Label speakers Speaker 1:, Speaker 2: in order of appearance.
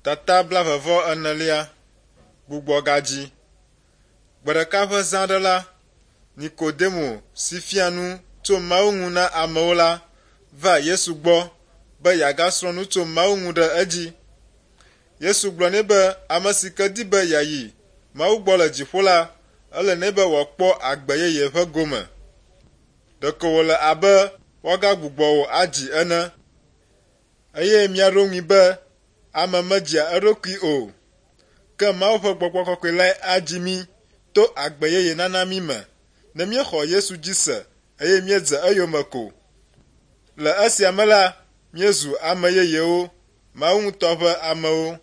Speaker 1: Tata blaeve-vɔ-enelia, Gbugbɔgadzi. Gbe ɖeka ƒe zã aɖe la, Nikodemo si fia nu tso Mawu ŋu na amewo la va Yesu gbɔ be yeagasrɔ̃ nu tso Mawu ŋu ɖe edzi. Yesu gblɔ nɛ be ame si ke di be yeayi Mawu gbɔ le dziƒo la, ele nɛ be wòakpɔ agbe yeye ƒe gome. Ɖeko wòle abe woagagbugbɔ wò adzi ene. Eye míaɖo ŋui be ame medzia eɖokui o, ke Mawu ƒe Gbɔgbɔ Kɔkɔe lae adzi mí to agbe yeye nana mí me ne míexɔ Yesu dzi se eye míedze eyome ko. Le esia me la, míezu ame yeyewo, Mawu ŋutɔ ƒe amewo.